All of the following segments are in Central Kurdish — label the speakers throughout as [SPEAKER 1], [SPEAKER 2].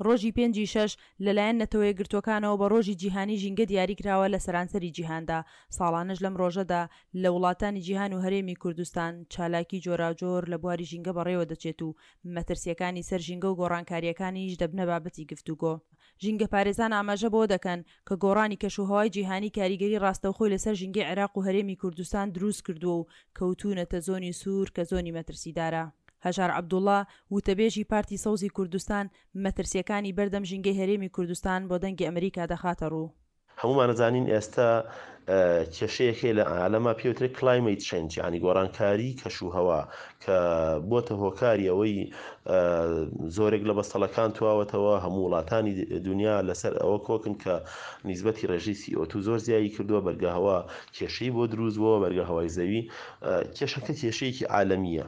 [SPEAKER 1] ڕۆژی پێنجی شەش لەلایەن نەتەوەیەکگرتووەکانەوە بە ڕۆژی جیهانی ژینگە دیاریکراوە لە سەرانسەری جیهاندا، ساڵانەش لەم ڕۆژەدا لە وڵاتانی جیهان و هەرێمی کوردستان چالاکی جۆراوجۆر لە بواری ژینگە بەڕێوەدەچێت و مەترسییەکانی سەر ژینگە و گۆڕانکارییەکانیش دەبنە بابەتی گفتوگۆ. ژینگەپارێزان ئاماژە بەوە دەکەن کە گۆڕانی کەشوهەوای جیهانی کاریگەری ڕاستەوخۆی لەسەر ژینگەی عێراق و هەرێمی کوردستان دروستکردووە و کەوتوونەتە زۆنی سوور کە زۆنی مەترسیدارە. هەژار عەبدوڵا، وتەبێژی پارتی سەوزی کوردستان، مەترسییەکانی بەردەم ژینگەی هەرێمی کوردستان بۆ دەنگی ئەمریکا دەخاتەڕوو.
[SPEAKER 2] هەموومان ئەزانین ئێستا کێشەیەک هەیە لە عالەما پێی وترێت کلایمەیت چەینج یانی گۆڕانکاری کەش و هەوا کە بۆتە هۆکاری ئەوەی زۆرێک لە بەستەڵەکان تواوەتەوە هەموو وڵاتانی دنیا لەسەر ئەوە کۆکن کە نیسبەتی ڕێژەی CO2 زۆر زیایی کردووە بەرگە هەوا کێشەی بۆ دروست بووە بەرگە هەوای زەوی کێشەکە کێشەیەکی عالەمیە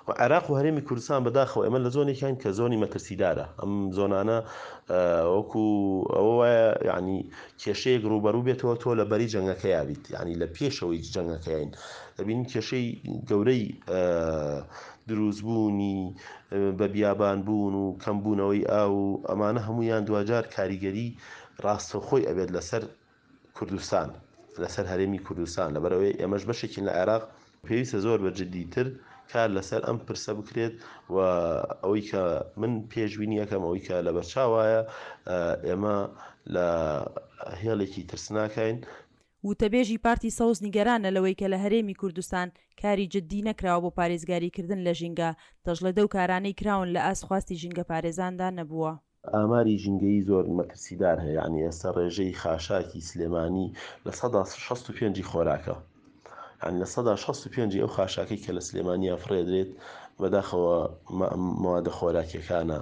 [SPEAKER 2] و عێراق و هەرێمی کوردستان بەداخەوە ئێمە لە زۆنێکین کە زۆنی مەترسیدارە ئەم زۆنانە وەکو ئەوە وایە یعنی کێشەیەک ڕووبەڕوو بێتەوە تۆ لە بەری جەنگەکەیا بیت یعنی لە پێشەوەی جەنگەکەین دەبینین کێشەی گەورەی دروستبوونی بە بیابان بوون و کەمبوونەوەی ئاو و ئەمانە هەمویان دواجار کاریگەری ڕاستەوخۆی ئەبێت لەسەر کوردستان، لەسەر هەرێمی کوردستان، لەبەرئەوەی ئێمەش بەشێکین لە عێراق، پێویستە زۆر بە جددیتر کار لەسەر ئەم پرسە بکرێت و ئەوەی کە من پێشبینی ئەکەم، ئەوەی کە لەبەرچاوایە ئێمە لە هێڵێکی ترسناکاین.
[SPEAKER 1] وتەبێژی پارتی سەوز نیگەرانە لەوەی کە لە هەرێمی کوردستان کاری جددی نەکراوە بۆ پارێزگاریکردن لە ژینگە، دەشڵێت ئەو کارانەی کراون لە ئاست خواستی ژینگەپارێزاندا نەبووە.
[SPEAKER 2] ئاماری ژینگەیی زۆر مەترسیدار هەیە، یانی ئێستا ڕێژەی خاشاکی سلێمانی 65% ی خۆراکە، یانی 65% ی ئەو خاشاکەی کە لە سلێمانیا فڕێدرێت بەداخەوە مەوادە خۆراکیەکانە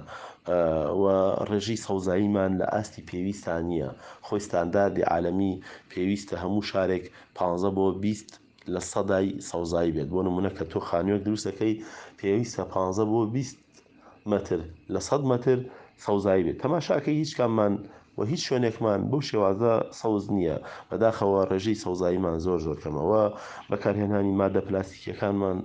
[SPEAKER 2] و ڕێژەی سەوزاییمان لە ئاستی پێویستا نییە، خۆی ستانداردی عالەمی پێویستە هەموو شارێک 15 بۆ 20 لە سەدای سەوزایی بێت، بۆ نمونە کە تۆ خانوویەک دروست دەکەی پێویستە 15 بۆ 20 مەتر لە سەد مەتر سەوزایی بێت تەماشاکەی هیچ کاممان و هیچ شوێنێکمان بەو شێوازە سەوز نییە بەداخەوە ڕێژەی سەوزاییمان زۆر زۆر کەمە و بەکارهێنانی مادە پلاستیکیەکانمان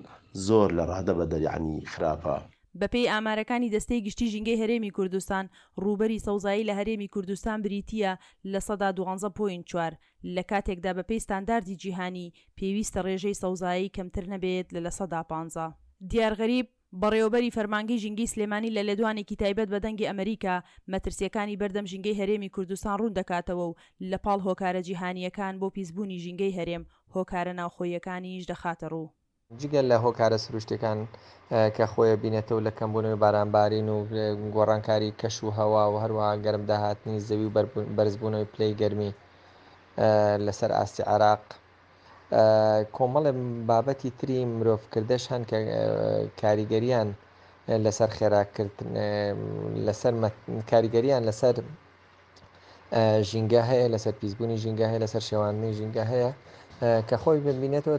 [SPEAKER 2] زۆر لە ڕادە بەدەر یەعنی خراپە.
[SPEAKER 1] بەپێی ئامارەکانی دەستەی گشتی ژینگەی هەرێمی کوردستان، ڕووبەری سەوزایی لە هەرێمی کوردستان بریتییە 12.4%، لە کاتێکدا بەپێی ستانداردی جیهانی پێویستە ڕێژەی سەوزایی کەمتر نەبێت لە 15%. دیار غەریب، بەڕێوەبەری فەرمانگەی ژینگەی سلێمانی لە لێدوانێکی تایبەت بە دەنگی ئەمەریکا، مەترسییەکانی بەردەم ژینگەی هەرێمی کوردستان ڕوون دەکاتەوە و لە پاڵ هۆکارە جیهانییەکان بۆ پیسبوونی ژینگەی هەرێم، هۆکارە ناوخۆییەکانیش دەخاتە ڕوو.
[SPEAKER 3] جگە لە هۆکارە سروشتیەکان کە خۆی ئەبینێتەوە لە کەمبوونەوەی بارانبارین و گۆڕانکاری کەش و هەوا و هەروەها گەرم داهاتنی زەوی و بەرزبوونەوەی پلەی گەرمی لەسەر ئاستی عێراق، کۆمەڵێ بابەتی تری مرۆڤکردەش هەن کە کاریگەریان لەسەر خێراکردن لەسەر کاریگەریان لەسەر ژینگە هەیە لەسەر پیسبوونی ژینگە هەیە لەسەر شێواندنی ژینگە هەیە کە خۆی ببینێتەوە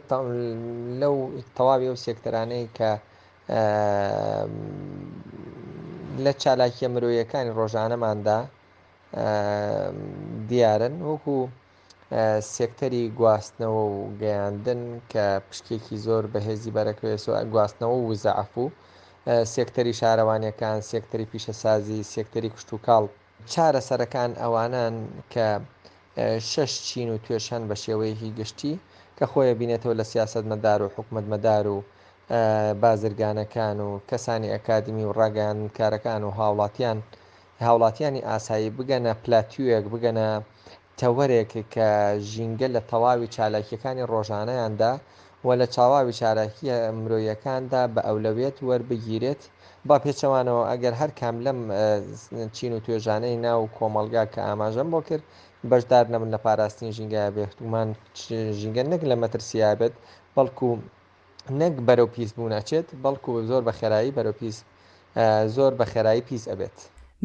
[SPEAKER 3] لەو تەواوی ئەو سێکتەرانەی کە لە چالاکیە مرۆیەکانی ڕۆژانەماندا دیارن وەکو سێکتەری گواستنەوە و گەیاندن کە پشکێکی زۆر بەهێزی بەرەکەوێت گواستنەوە و وزە عەفو، سێکتەری شارەوانیەکان، سێکتەری پیشەسازی، سێکتەری کشتوکاڵ. چارەسەرەکان ئەوانەن کە شەش چین و توێژ هەن بە شێوەیەکی گشتی کە خۆی ئەبینێتەوە لە سیاسەتمەدار و حکومەتمەدار و بازرگانەکان و کەسانی ئەکادیمی و ڕاگەیاندنکارەکان و هاوڵاتیان هاوڵاتیانی ئاسایی بگەنە پلاتیۆیەک بگەنە تەوەرێک کە ژینگە لە تەواوی چالاکییەکانی ڕۆژانەیاندا و لە چاواوی چالاکییە مرۆییەکاندا بە ئەولەویەت وەربگیرێت، بە پێچەوانەوە ئەگەر هەر کام لەم چین و توێژانەی ناو کۆمەڵگا کە ئاماژەم بۆ کرد بەشدار نەبن لە پاراستنی ژینگە بێگومان ژینگە نەک لە مەترسییا بێت بەڵکو نەک بەرەو پیس بوون ئەچێت بەڵکو زۆر بە خێرایی بەرەو پیس زۆر بە خێرایی پیس ئەبێت.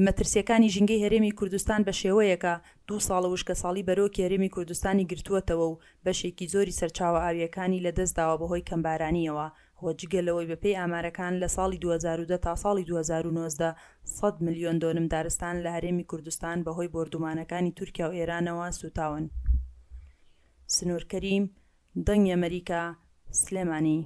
[SPEAKER 1] مەترسیەکانی ژینگەی هەرێمی کوردستان بەشێوەیەکە دوو ساڵە وشکەساڵی بەرۆکی هەرێمی کوردستانی گرتووەتەوە و بەشێکی زۆری سەرچاوە ئاوییەکانی لەدەستداوە بەهۆی کەمبارانییەوە و جگە لەوەی بەپێی ئامارەکان لە ساڵی 2010 تا ساڵی 2019 سەد ملیۆن دۆنم دارستان لە هەرێمی کوردستان بەهۆی بۆردومانەکانی تورکیا و ئێرانەوە سووتاون. سنوور کەریم، دەنگی ئەمەریکا، سلێمانی.